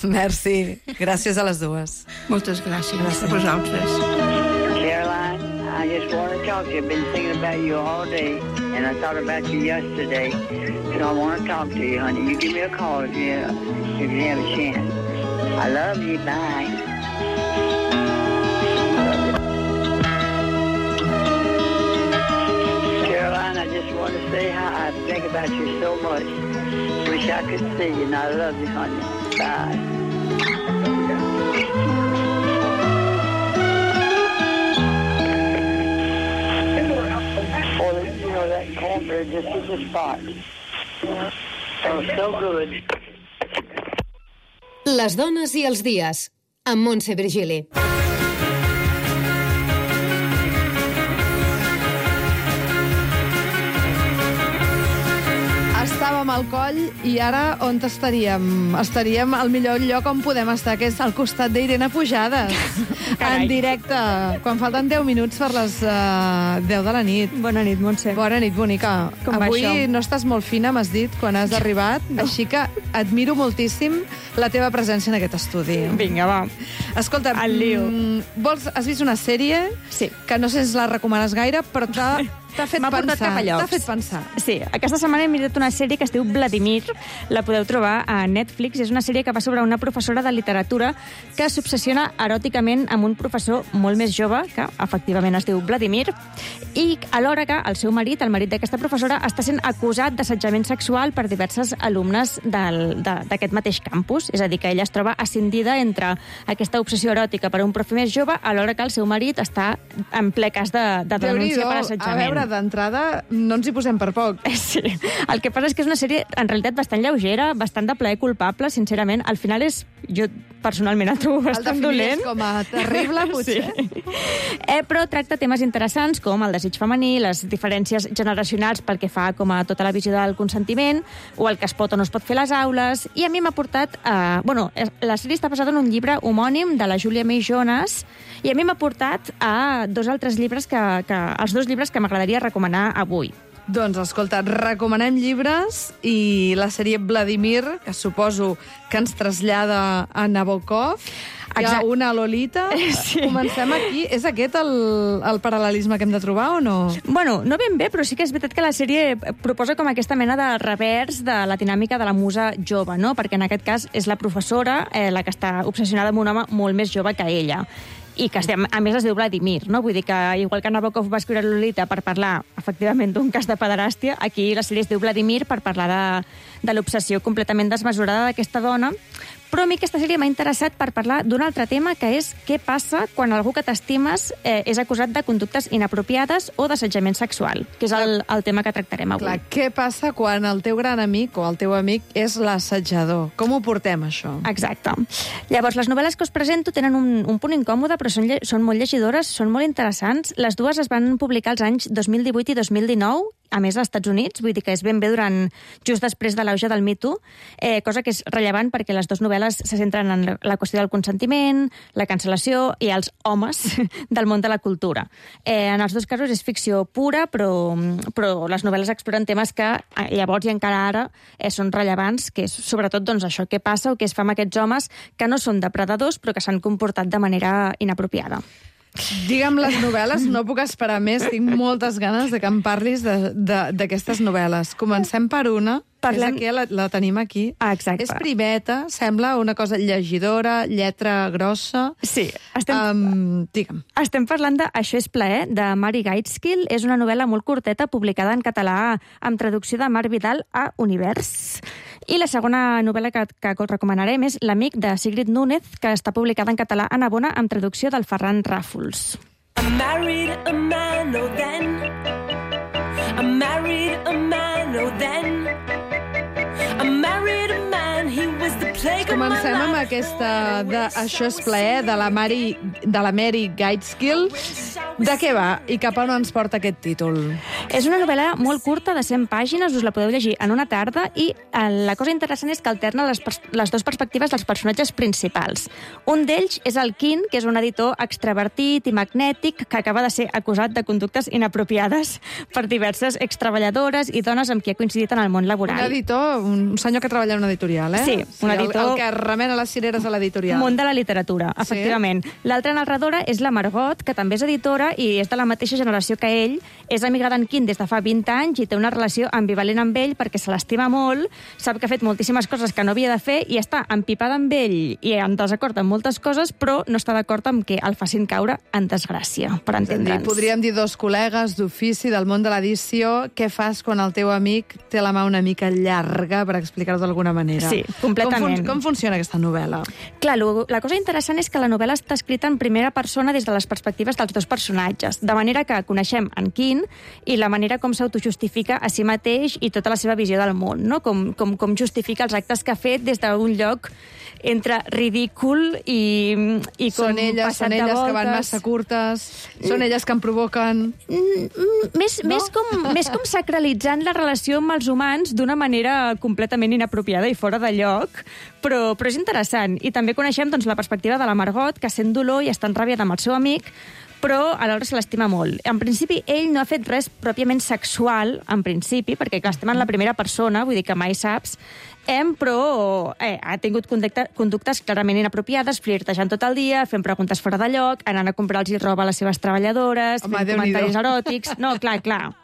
Merci. Gràcies a les dues. Moltes gràcies a vosaltres. Caroline, I just want to talk to you. I've been thinking about you all day, and I thought about you yesterday. So I want to talk to you, honey. You give me a call if you have a chance. I love you. Bye. Caroline, I just want to say how I think about you so much. Wish I could see you, and I love you, honey. Bye. That cornbread just hit the spot. That was so good. Les dones i els dies, amb Montse Virgili. Estàvem al coll i ara on estaríem? Estaríem al millor lloc on podem estar, que és al costat d'Irene Pujades. En directe, quan falten 10 minuts per les 10 de la nit. Bona nit, Montse. Bona nit, bonica. Com va Avui això? no estàs molt fina, m'has dit, quan has arribat, així que admiro moltíssim la teva presència en aquest estudi. Vinga, va. Escolta, Al lío. has vist una sèrie Sí. que no sé si la recomanes gaire, però t'ha fet M'ha portat cap a pensar. llocs. T'ha fet pensar. Sí, aquesta setmana he mirat una sèrie que es diu Vladimir, la podeu trobar a Netflix. És una sèrie que va sobre una professora de literatura que s'obsessiona eròticament amb un professor molt més jove, que efectivament es diu Vladimir, i alhora que el seu marit, el marit d'aquesta professora, està sent acusat d'assetjament sexual per diverses alumnes d'aquest mateix campus. És a dir, que ella es troba ascendida entre aquesta obsessió eròtica per un profe més jove, alhora que el seu marit està en ple cas de denúncia per assetjament. A veure, d'entrada, no ens hi posem per poc. Sí. El que passa és que és una sèrie, en realitat, bastant lleugera, bastant de plaer culpable, sincerament. Al final és... Jo, personalment, el trobo bastant dolent. El definiries com a terrible, potser? Sí. Però tracta temes interessants com el desig femení, les diferències generacionals pel que fa com a tota la visió del consentiment, o el que es pot o no es pot fer a les aules, i a mi m'ha portat... la sèrie està basada en un llibre homònim de la Julia May Jonas, i a mi m'ha portat a dos altres llibres els dos llibres que m'agradaria recomanar avui. Doncs, escolta, recomanem llibres i la sèrie Vladimir, que suposo que ens trasllada a Nabokov, hi ha una Lolita. Sí. Comencem aquí. És aquest el paral·lelisme que hem de trobar o no? Bueno, no ben bé, però sí que és veritat que la sèrie proposa com aquesta mena de revers de la dinàmica de la musa jove, no? Perquè en aquest cas és la professora la que està obsessionada amb un home molt més jove que ella. I que, a més, es diu Vladimir, no? Vull dir que, igual que Nabokov va escriure Lolita per parlar, efectivament, d'un cas de pederàstia, aquí la sèrie es diu Vladimir per parlar de l'obsessió completament desmesurada d'aquesta dona. Però a mi aquesta sèrie m'ha interessat per parlar d'un altre tema, que és què passa quan algú que t'estimes és acusat de conductes inapropiades o d'assetjament sexual, que és el tema que tractarem avui. Clar, què passa quan el teu gran amic o el teu amic és l'assetjador? Com ho portem, això? Exacte. Llavors, les novel·les que us presento tenen un punt incòmode, però són molt llegidores, són molt interessants. Les dues es van publicar els anys 2018 i 2019, a més, als Estats Units, vull dir que és ben bé just després de l'auge del Me Too, cosa que és rellevant perquè les dues novel·les se centren en la qüestió del consentiment, la cancel·lació i els homes del món de la cultura. En els dos casos és ficció pura, però les novel·les exploren temes que llavors i encara ara són rellevants, que és sobretot doncs, això, què passa o què es fa amb aquests homes que no són depredadors però que s'han comportat de manera inapropiada. Digue'm les novel·les, no puc esperar més, tinc moltes ganes de que em parlis d'aquestes novel·les. Comencem per una, la tenim aquí. Exacte. És primeta, sembla una cosa llegidora, lletra grossa. Sí. Digue'm. Estem parlant de Això és plaer, de Mari Gaitskill. És una novel·la molt curteta, publicada en català amb traducció de Marc Vidal a Univers. I la segona novel·la que recomanarem és L'amic, de Sigrid Núñez, que està publicada en català a Navona amb traducció del Ferran Ràfols. I married a man, oh then. I married a man, oh then. I married a man, he was the plague of my life. Comencem amb aquesta de Això és plaer, de la Mary Gaitskill. De què va i cap a on ens porta aquest títol? És una novel·la molt curta, de 100 pàgines, us la podeu llegir en una tarda, i la cosa interessant és que alterna les dues perspectives dels personatges principals. Un d'ells és el Quinn, que és un editor extravertit i magnètic que acaba de ser acusat de conductes inapropiades per diverses extreballadores i dones amb qui ha coincidit en el món laboral. Un editor, un senyor que treballa en una editorial, eh? Sí, un editor... El que remena les cireres a l'editorial. Món de la literatura, efectivament. Sí? L'altra narradora és la Margot, que també és editora i és de la mateixa generació que ell. És amiga d'en Quinn des de fa 20 anys i té una relació ambivalent amb ell perquè se l'estima molt, sap que ha fet moltíssimes coses que no havia de fer i està empipada amb ell i en desacord amb moltes coses, però no està d'acord amb que el facin caure en desgràcia, per entendre'ns. Podríem dir dos col·legues d'ofici del món de l'edició. Què fas quan el teu amic té la mà una mica llarga, per explicar-ho d'alguna manera? Sí, completament. Com funciona aquesta novel·la? Clar, la cosa interessant és que la novel·la està escrita en primera persona des de les perspectives dels dos personatges, de manera que coneixem en Quinn i la manera com s'autojustifica a si mateix i tota la seva visió del món, no? Com justifica els actes que ha fet des d'un lloc entre ridícul i com són elles que van massa curtes, són elles que em provoquen... Més com sacralitzant la relació amb els humans d'una manera completament inapropiada i fora de lloc, però és interessant. I també coneixem doncs, la perspectiva de la Margot, que sent dolor i està enrabiada amb el seu amic, però alhora se l'estima molt. En principi, ell no ha fet res pròpiament sexual, en principi, perquè clar, estem en la primera persona, vull dir que mai saps, però ha tingut conductes clarament inapropiades, flirtejant tot el dia, fent preguntes fora de lloc, anant a comprar-los roba a les seves treballadores, fent comentaris eròtics... No, clar.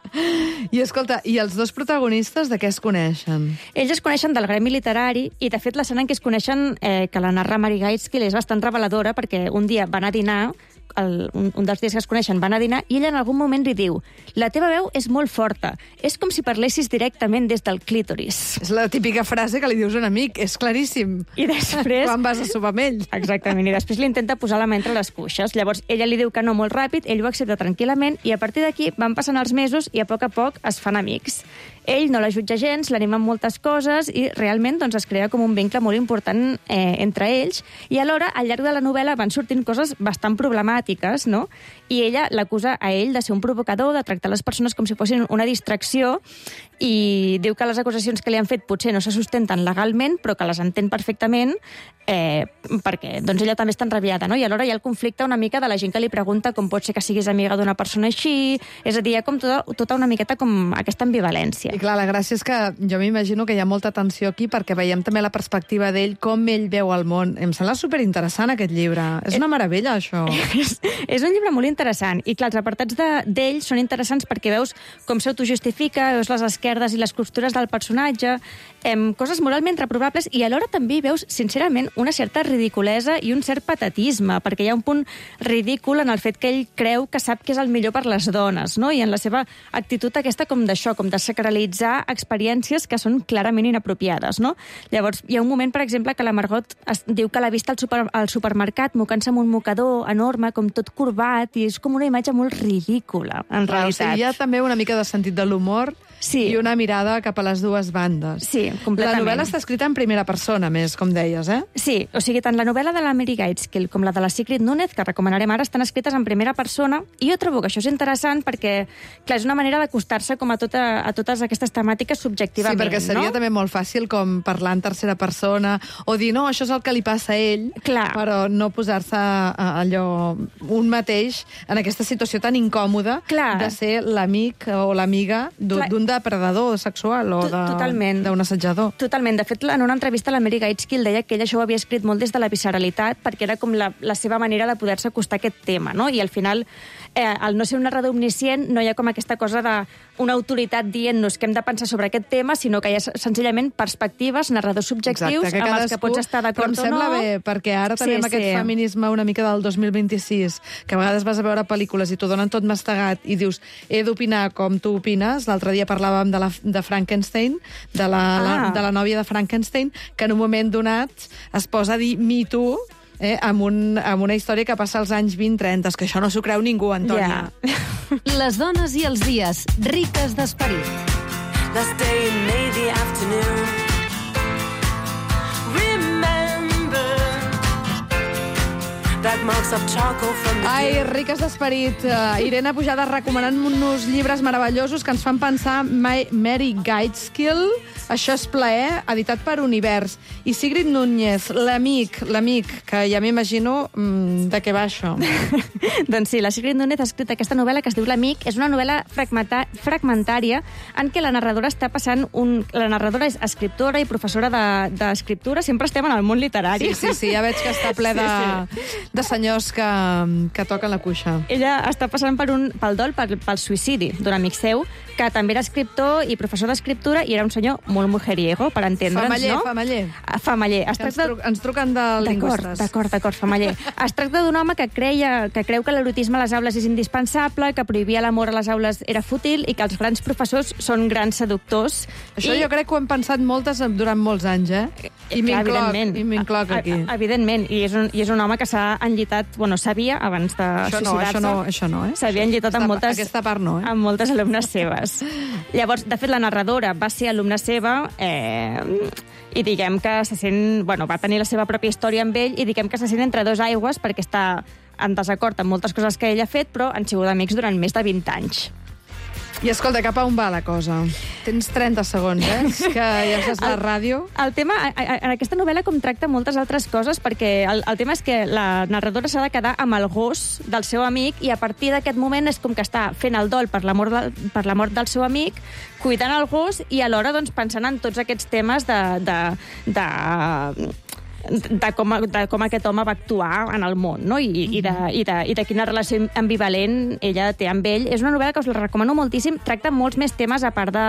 I escolta, i els dos protagonistes de què es coneixen? Ells es coneixen del gremi literari i, de fet, l'escena en què es coneixen, que la narra Mary Gaitskill, és bastant reveladora perquè un dia van a dinar, un dels dies que es coneixen van a dinar, i ella en algun moment li diu: la teva veu és molt forta, és com si parlessis directament des del clítoris. És la típica frase que li dius a un amic, és claríssim. I després... Quan vas a sopar amb ell. Exactament, i després li intenta posar la mà entre les cuixes. Llavors ella li diu que no molt ràpid, ell ho accepta tranquil·lament, i a partir d'aquí van passant els mesos i a poc es fan amics. Ell no la jutja gens, l'anima amb moltes coses i realment doncs, es crea com un vincle molt important entre ells, i alhora al llarg de la novel·la van sortint coses bastant problemàtiques, no? I ella l'acusa a ell de ser un provocador, de tractar les persones com si fossin una distracció, i diu que les acusacions que li han fet potser no se sustenten legalment, però que les entén perfectament perquè doncs, ella també està enrabiada, no? I alhora hi ha el conflicte una mica de la gent que li pregunta com pot ser que siguis amiga d'una persona així, és a dir, hi ha com tota una miqueta com aquesta ambivalència. I clar, la gràcia és que jo m'imagino que hi ha molta tensió aquí perquè veiem també la perspectiva d'ell, com ell veu el món. Em sembla superinteressant aquest llibre. És una meravella, això. És un llibre molt interessant. I clar, els apartats d'ell són interessants perquè veus com s'autojustifica, veus les esquerdes i les costures del personatge, coses moralment reprovables, i alhora també veus, sincerament, una certa ridiculesa i un cert patetisme, perquè hi ha un punt ridícul en el fet que ell creu que sap que és el millor per les dones, no? I en la seva actitud aquesta com d'això, com de sacralitzar experiències que són clarament inapropiades, no? Llavors, hi ha un moment, per exemple, que la Margot diu que l'ha vist al supermercat mocant-se amb un mocador enorme, com tot corbat, i és com una imatge molt ridícula, en realitat. O sigui, hi ha també una mica de sentit de l'humor i una mirada cap a les dues bandes. Sí, completament. La novel·la està escrita en primera persona, més, com deies, eh? Sí, o sigui, tant la novel·la de la Mary Gaitskill com la de la Sigrid Núñez, que recomanarem ara, estan escrites en primera persona, i jo trobo que això és interessant perquè, clar, és una manera d'acostar-se com a totes aquestes temàtiques subjectivament, no? Sí, perquè seria també molt fàcil com parlar en tercera persona o dir, no, això és el que li passa a ell, però no posar-se allò un mateix en aquesta situació tan incòmoda de ser l'amic o l'amiga d'un depredador sexual o d'un assetjador. Totalment. De fet, en una entrevista la Mary Gaitskill deia que ella això ho havia escrit molt des de la visceralitat perquè era com la seva manera de poder-se acostar a aquest tema, no? I al final, al no ser un narrador omniscient, no hi ha com aquesta cosa d'una autoritat dient-nos què hem de pensar sobre aquest tema, sinó que hi ha senzillament perspectives, narradors subjectius, amb els que pots estar d'acord o no. Però em sembla bé, perquè ara tenim aquest feminisme una mica del 2026, que a vegades vas a veure pel·lícules i t'ho donen tot mastegat i dius, he d'opinar com tu opines. L'altre dia parlàvem de Frankenstein, de la nòvia de Frankenstein, que en un moment donat es posa a dir Me Too, amb una història que passa als anys 20-30, que això no s'ho creu ningú, Antònia. Les dones i els dies, riques d'esperit. Last day in May the afternoon. Remember that like marks of charcoal from the Ai, riques d'esperit. Irene Pujada recomanant-nos llibres meravellosos que ens fan pensar Mary Gaitskill, Això és plaer, editat per Univers. I Sigrid Núñez, l'amic, que ja m'imagino de què va això. Doncs sí, la Sigrid Núñez ha escrit aquesta novel·la que es diu L'amic. És una novel·la fragmentària en què la narradora està passant La narradora és escriptora i professora d'escriptura. Sempre estem en el món literari. Sí, ja veig que està ple de senyors que toquen la cuixa. Ella està passant pel dol, pel suïcidi d'un amic seu, que també era escriptor i professor d'escriptura, i era un senyor molt mujeriego, per entendre'ns, no? Famaller. Ens truquen de lingüistes. D'acord, Famaller. Es tracta d'un home que creu que l'erotisme a les aules és indispensable, que prohibir l'amor a les aules era fútil i que els grans professors són grans seductors. Això jo crec que ho hem pensat moltes durant molts anys, eh? I m'incloc aquí. Evidentment, i és un home que s'ha enllitat, sabia, abans de suïcidar-se. Això no, eh? S'havia enllitat amb moltes... Aquesta part no, eh? Amb moltes alumnes seves. Llavors, de fet, la narradora va ser alumna seva i diguem que se sent... va tenir la seva pròpia història amb ell i diguem que se sent entre dos aigües perquè està en desacord amb moltes coses que ell ha fet, però han sigut amics durant més de 20 anys. I escolta, cap a on va la cosa? Tens 30 segons, És que ja saps la ràdio. El tema, en aquesta novel·la, com tracta moltes altres coses, perquè el tema és que la narradora s'ha de quedar amb el gos del seu amic i a partir d'aquest moment és com que està fent el dol per la mort del seu amic, cuidant el gos i alhora pensant en tots aquests temes de com aquest home va actuar en el món, no? I de quina relació ambivalent ella té amb ell. És una novel·la que us la recomano moltíssim. Tracta molts més temes a part de...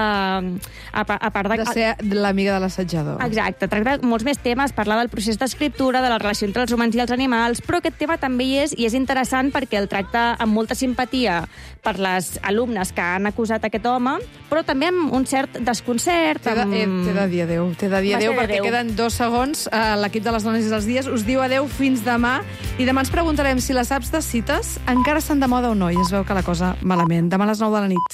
De ser l'amiga de l'assetjador. Exacte. Tracta molts més temes, parlar del procés d'escriptura, de la relació entre els humans i els animals, però aquest tema també hi és, i és interessant perquè el tracta amb molta simpatia per les alumnes que han acusat aquest home, però també amb un cert desconcert. T'he de dir adéu, perquè queden 2 segons. L'equip de les dones i els dies us diu adéu fins demà, i demà ens preguntarem si les apps de cites encara estan de moda o no, i es veu que la cosa malament. Demà a les 9 de la nit.